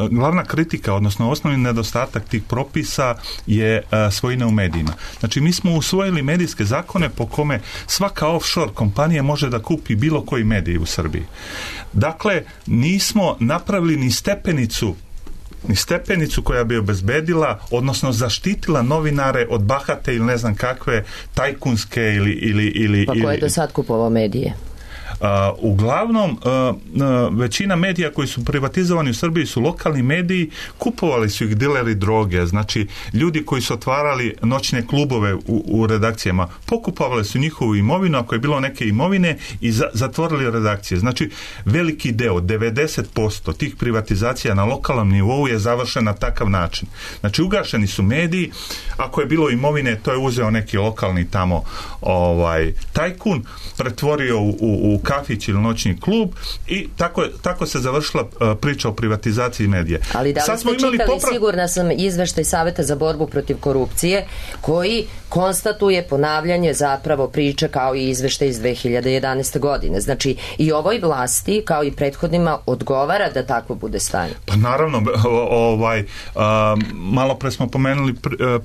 Glavna kritika, odnosno osnovni nedostatak tih propisa je svojina u medijima. Znači, mi smo usvojili medijske zakone po kome svaka offshore kompanija može da kupi bilo koji medij u Srbiji. Dakle, nismo napravili ni stepenicu koja bi obezbedila, odnosno zaštitila novinare od bahate ili ne znam kakve tajkunske ili... Pa ko je do sad kupovao medije? Uglavnom, većina medija koji su privatizovani u Srbiji su lokalni mediji, kupovali su ih dileri droge, znači ljudi koji su otvarali noćne klubove u redakcijama, pokupovali su njihovu imovinu, ako je bilo neke imovine, i zatvorili redakcije. Znači, veliki deo, 90% tih privatizacija na lokalnom nivou je završen na takav način. Znači, ugašeni su mediji, ako je bilo imovine, to je uzeo neki lokalni tamo tajkun, pretvorio u kafić ili noćni klub i tako se završila priča o privatizaciji medija. Ali da li ste čitali, sigurna sam, izveštaj Saveta za borbu protiv korupcije koji konstatuje ponavljanje zapravo priče kao i izveštaj iz 2011. godine. Znači, i ovoj vlasti kao i prethodnima odgovara da takvo bude stanje. Pa naravno, malo pre smo pomenuli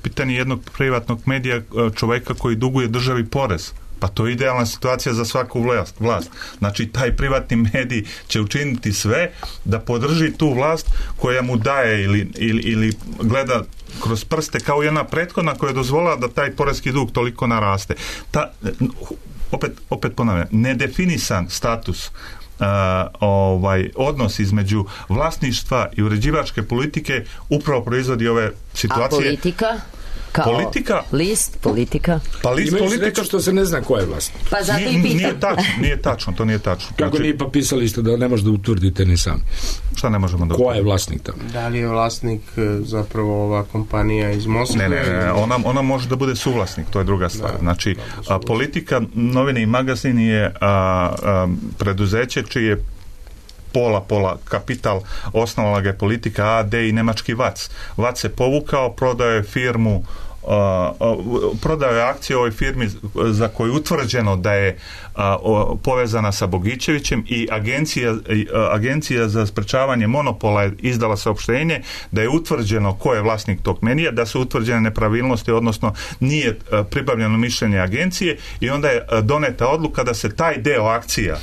pitanje jednog privatnog medija, čoveka koji duguje državi porez. Pa to je idealna situacija za svaku vlast. Znači, taj privatni medij će učiniti sve da podrži tu vlast koja mu daje ili gleda kroz prste kao i ona prethodna koja je dozvolila da taj poreski dug toliko naraste. Opet ponavljam, nedefinisan status odnos između vlasništva i uređivačke politike upravo proizvodi ove situacije. A politika? List politika. Pa list politika što se ne zna ko je vlasnik. Pa zato i pitam. Nije tačno, to nije tačno. Kako znači, nije pa pisali ste da ne možete da utvrdite ni sami. Šta ne možemo da utvrdite? Ko je vlasnik tamo? Da li je vlasnik zapravo ova kompanija iz Moskve? Ne, ona može da bude suvlasnik, to je druga stvar. Znači, politika, novine i magazin je preduzeće čije pola kapital, osnovala ga je politika AD i nemački VAC. VAC se povukao, prodao je firmu, prodao je akcije ovoj firmi za koju je utvrđeno da je povezana sa Bogićevićem i agencija za sprečavanje monopola je izdala saopštenje da je utvrđeno ko je vlasnik tog medija, da su utvrđene nepravilnosti, odnosno nije pribavljeno mišljenje agencije i onda je doneta odluka da se taj deo akcija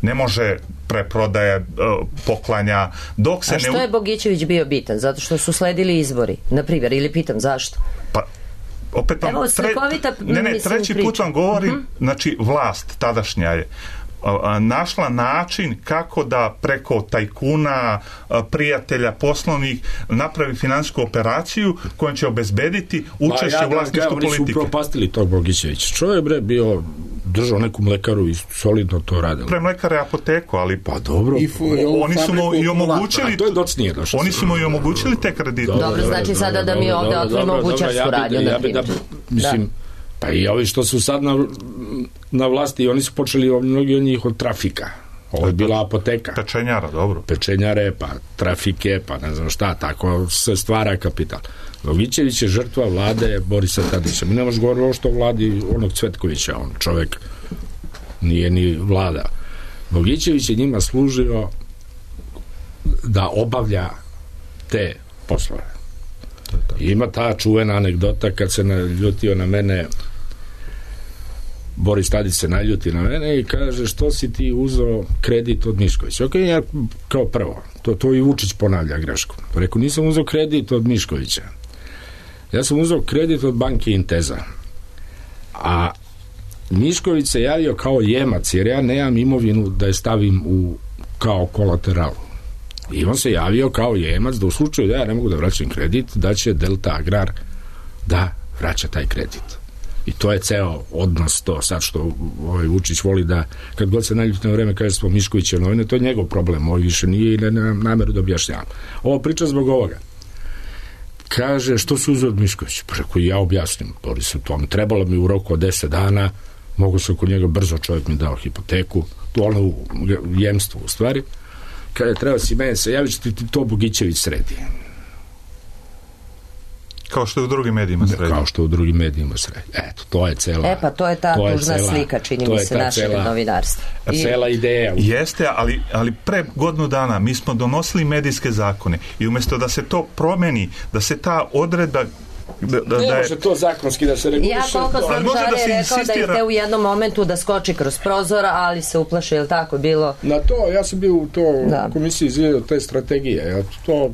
ne može preprodaje, poklanja, dok se ne... A što je Bogićević bio bitan? Zato što su sledili izbori, na primjer, ili pitam zašto? Pa, opet vam... treći put vam govorim, znači vlast tadašnja je našla način kako da preko tajkuna, prijatelja poslovnih napravi finansijsku operaciju kojom će obezbediti učešće u vlasništvu politike. Oni su propastili tog Bogićevića. Čovjek bio držao neku mlekaru i solidno to radilo. Pre mlekare apoteku, ali pa dobro. Oni su mu i omogućili to je docnije došlo. Oni su mu i omogućili te kredite. Dobro, znači sada da mi ovde otvorimo bućarsku radnju, na primjer. Mislim, pa i ovi što su sad na vlasti, oni su počeli mnogi od njih od trafika. Ovo je bila apoteka. Pečenjara, dobro. Pečenjare, pa trafike, pa ne znam šta, tako se stvara kapital. Bogićević je žrtva vlade Borisa Tadića. Mi ne možemo govoriti što vladi onog Cvetkovića, on čovek nije ni vlada. Bogićević je njima služio da obavlja te poslove. Ima ta čuvena anegdota kad se naljutio na mene, Boris Tadić se naljuti na mene i kaže što si ti uzeo kredit od Miškovića. Ok, ja kao prvo, to i Vučić ponavlja grešku. Rekao, nisam uzeo kredit od Miškovića. Ja sam uzeo kredit od banke Inteza. A Mišković se javio kao jemac, jer ja nemam imovinu da je stavim kao kolateralu. I on se javio kao jemac da u slučaju da ja ne mogu da vraćam kredit, da će Delta Agrar da vraća taj kredit. I to je ceo odnos, to sad što Vučić voli da, kad god se naljuti na vreme, kaže smo Miškovića novine, to je njegov problem, ovo više nije i nemam nameru da objašnjavam. Ovo priča zbog ovoga. Kaže, što su uzeo od Miškovića? Pa rekao, ja objasnim, Borisu, to mi trebalo mi u roku od 10 dana, mogu se oko njega brzo, čovjek mi dao hipoteku, to ono u jemstvu u stvari. Kada treba si meni se javiti, ti to Bogićević sredi. Kao što je u drugim medijima sredi. Kao što je u drugim medijima sredi. Eto, to je cela... pa to je ta tužna slika, čini mi se, našeg novinarstva. Cela ideja. Jeste, ali pre godinu dana mi smo donosili medijske zakone i umjesto da se to promeni, da se ta odredba ne može to zakonski da se reguliše. Ja koliko sam Žare rekao da iste u jednom momentu da skoči kroz prozor, ali se uplaše, je li tako bilo? Na to, ja sam bio u komisiji izgledao te strategije, ja to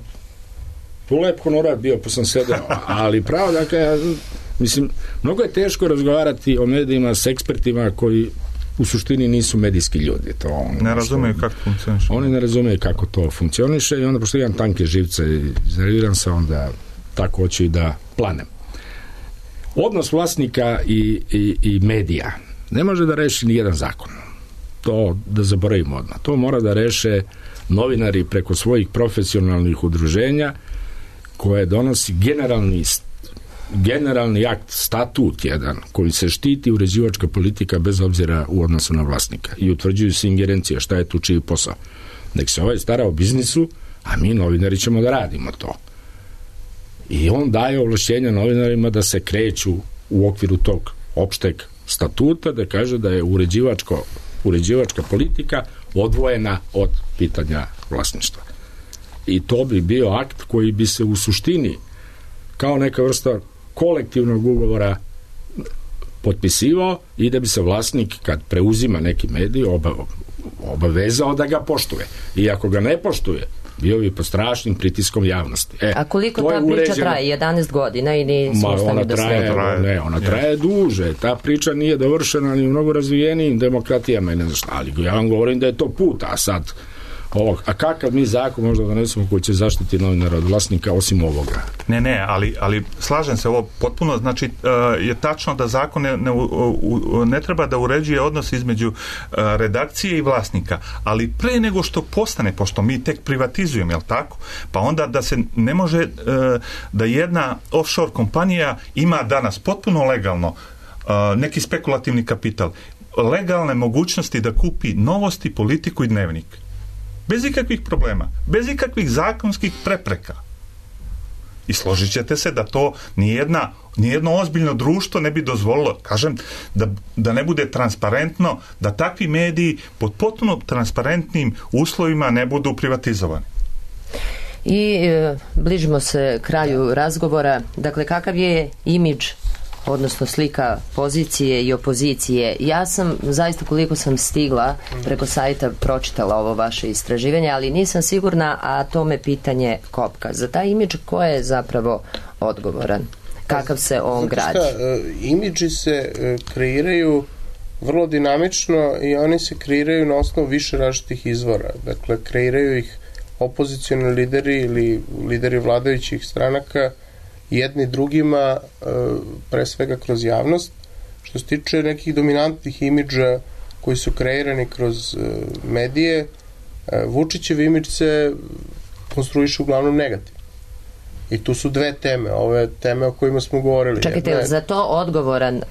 lep honorar bio, pa sam sedeo, ali pravo, dakle, mislim, mnogo je teško razgovarati o medijima s ekspertima koji u suštini nisu medijski ljudi. Ne razumeju kako funkcioniše. Oni ne razumeju kako to funkcioniše i onda, pošto imam tanke živce i iznerviram se, onda tako hoću i da planem. Odnos vlasnika i medija ne može da reši ni jedan zakon. To da zaboravimo odmah. To mora da reše novinari preko svojih profesionalnih udruženja koje donosi generalni akt, statut jedan, koji se štiti uređivačka politika bez obzira u odnosu na vlasnika i utvrđuju se ingerencije šta je tu čiji posao. Nek se ovaj stara o biznisu, a mi novinari ćemo da radimo to. I on daje ovlašćenja novinarima da se kreću u okviru tog opšteg statuta, da kaže da je uređivačka politika odvojena od pitanja vlasništva. I to bi bio akt koji bi se u suštini kao neka vrsta kolektivnog ugovora potpisivao i da bi se vlasnik kad preuzima neki medij obavezao da ga poštuje. I ako ga ne poštuje, bio bi pod strašnim pritiskom javnosti. A koliko ta priča traje? 11 godina i nismo ustavili do svega? Ne, ona traje duže. Ta priča nije dovršena ni u mnogo razvijenijim demokratijama i ne znam šta, ali ja vam govorim da je to put, a sad a kakav mi zakon možda donesemo koji će zaštiti novinara od vlasnika osim ovoga? Ne, ali slažem se, ovo potpuno, znači je tačno da zakon ne treba da uređuje odnos između redakcije i vlasnika, ali pre nego što postane, pošto mi tek privatizujemo, jel tako? Pa onda da se ne može da jedna offshore kompanija ima danas potpuno legalno neki spekulativni kapital, legalne mogućnosti da kupi Novosti, Politiku i Dnevnik. Bez ikakvih problema, bez ikakvih zakonskih prepreka. I složit ćete se da to nijedno ozbiljno društvo ne bi dozvolilo, kažem, da ne bude transparentno, da takvi mediji pod potpuno transparentnim uslovima ne budu privatizovani. I bližimo se kraju razgovora. Dakle, kakav je imidž, odnosno slika pozicije i opozicije? Ja sam, zaista koliko sam stigla preko sajta, pročitala ovo vaše istraživanje, ali nisam sigurna, a to me pitanje kopka. Za taj imidž ko je zapravo odgovoran? Kakav se on gradi? Imidži se kreiraju vrlo dinamično i oni se kreiraju na osnovu više različitih izvora. Dakle, kreiraju ih opozicioni lideri ili lideri vladajućih stranaka jedni drugima, pre svega kroz javnost. Što se tiče nekih dominantnih imidža koji su kreirani kroz medije, Vučićev imidž se konstruiše uglavnom negativno. I tu su dve teme, ove teme o kojima smo govorili. Čekajte, za to odgovoran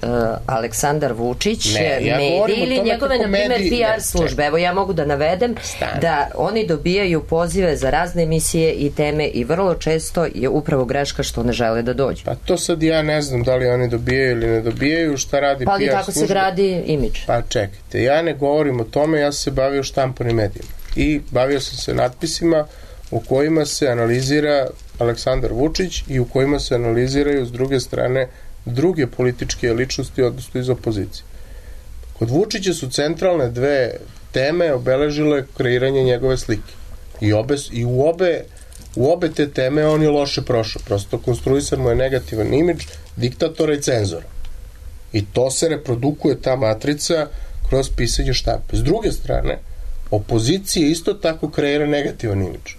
Aleksandar Vučić, mediji ili njegove, na primjer, PR službe? Evo, ja mogu da navedem da oni dobijaju pozive za razne emisije i teme i vrlo često je upravo greška što ne žele da dođu. Pa to sad ja ne znam da li oni dobijaju ili ne dobijaju, šta radi PR služba. Pa ali tako se gradi imidž. Pa čekajte, ja ne govorim o tome, ja sam se bavio štampanim medijima i bavio sam se natpisima u kojima se analizira Aleksandar Vučić i u kojima se analiziraju s druge strane druge političke ličnosti, odnosno iz opozicije. Kod Vučića su centralne dve teme obeležile kreiranje njegove slike. I u obe te teme on je loše prošao. Prosto konstruisan mu je negativan imidž diktatora i cenzora. I to se reprodukuje, ta matrica, kroz pisanje štampe. S druge strane, opozicija isto tako kreira negativan imidž.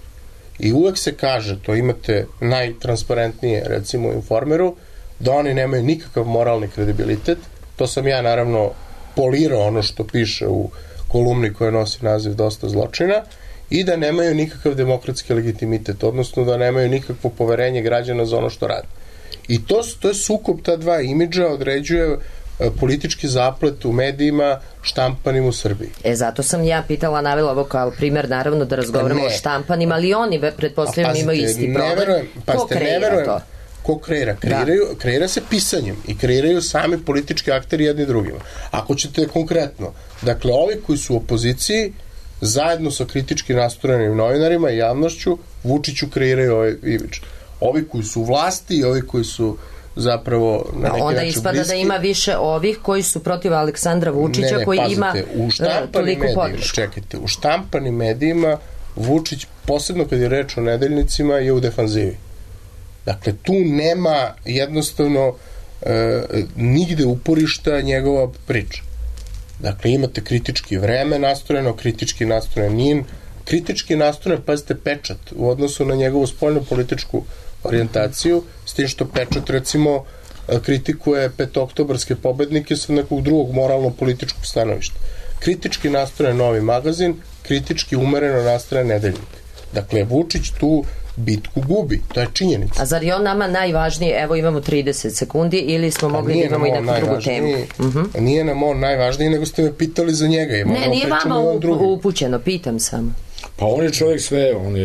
I uvek se kaže, to imate najtransparentnije, recimo u Informeru, da oni nemaju nikakav moralni kredibilitet. To sam ja naravno polirao ono što piše u kolumni koja nosi naziv Dosta zločina, i da nemaju nikakav demokratski legitimitet, odnosno da nemaju nikakvo poverenje građana za ono što rade. I to je sukob ta dva imidža, određuje politički zaplet u medijima štampanim u Srbiji. Zato sam ja pitala, navela ovo kao primjer, naravno da razgovaramo o štampanima, ali oni pretpostavljamo imaju isti problem. Ko kreira to? Ko kreira? Kreira se pisanjem i kreiraju sami politički akteri jedni drugima. Ako ćete konkretno, dakle, ovi koji su u opoziciji, zajedno sa kritički nastrojenim novinarima i javnošću, Vučiću kreiraju ovaj imidž. Ovi koji su u vlasti i ovi koji su zapravo na neki onda način ispada bliski. Da ima više ovih koji su protiv Aleksandra Vučića, koji ima toliko podršku. Čekajte, u štampanim medijima Vučić, posebno kad je reč o nedeljnicima, je u defanzivi. Dakle, tu nema jednostavno nigde uporišta njegova priča. Dakle, imate kritički Vreme nastrojeno, kritički nastrojen NIN, kritički nastrojen, pazite, Pečat u odnosu na njegovu spoljnu političku orijentaciju, s tim što Pečat, recimo, kritikuje petooktobarske pobednike sa nekog drugog moralno-političkog stanovišta. Kritički nastrojen Novi magazin, kritički umereno nastrojen Nedeljnik. Dakle, Vučić tu bitku gubi, to je činjenica. A zar je on nama najvažniji, evo imamo 30 sekundi, ili smo mogli da imamo i neku drugu temu? Nije nam on najvažniji, nego ste me pitali za njega. Ne, nije vama upućeno, pitam samo. Pa on je čovjek sve, on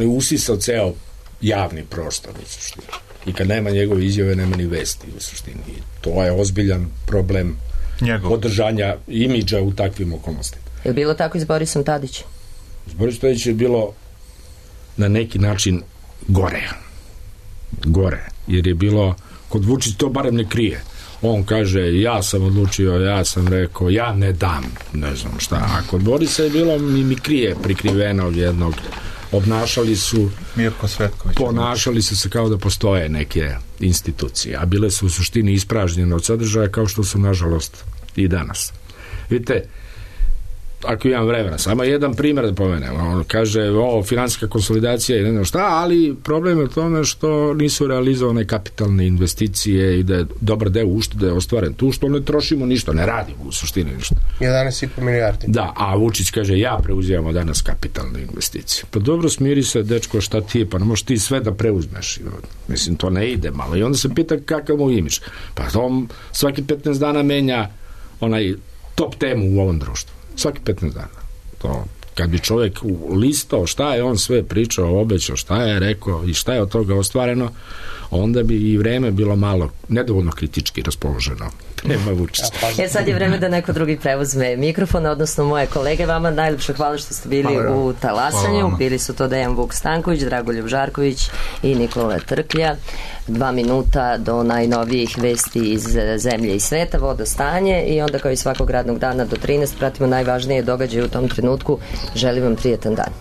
je usisao ceo javni prostor u suštini. I kad nema njegove izjave, nema ni vesti u suštini. I to je ozbiljan problem održanja imidža u takvim okolnostima. Je li bilo tako i s Borisom Tadićem? S Borisom Tadićem je bilo na neki način gore, jer je bilo, kod Vučića to barem ne krije. On kaže, ja sam odlučio, ja sam rekao, ja ne dam, ne znam šta. A kod Borisa je bilo mimikrije prikrivenog jednog, obnašali su Mirko Svetković, ponašali su se kao da postoje neke institucije, a bile su u suštini ispražnjene od sadržaja, kao što su nažalost i danas. Vidite, ako imam vremena, samo jedan primjer da pomenem. On kaže, finansijska konsolidacija i ne znam šta, ali problem je u tome što nisu realizovane kapitalne investicije i da je dobar deo uštede ostvaren tu, što ne trošimo ništa, ne radimo u suštini ništa. 11,5 milijardi. Da, a Vučić kaže, ja preuzimamo danas kapitalne investicije. Pa dobro, smiri se, dečko, šta ti je, pa ne možeš ti sve da preuzmeš. Mislim, to ne ide malo. I onda se pita kakav mu imidž. Pa on svaki 15 dana menja onaj top temu u ovom društvu. Svaki 15 dana. To, kad bi čovjek listao šta je on sve pričao, obećao, šta je rekao i šta je od toga ostvareno, onda bi i vreme bilo malo nedovoljno kritički raspoloženo. Nema Vučića. Sad je vreme da neko drugi preuzme mikrofon, odnosno moje kolege. Vama najljepše hvala što ste bili u Talasanju. Bili su to Dejan Vuk Stanković, Dragoljub Žarković i Nikola Trklja. 2 minuta do najnovijih vesti iz zemlje i sveta, vodostanje, i onda kao i svakog radnog dana do 13 pratimo najvažnije događaje u tom trenutku. Želim vam prijetan dan.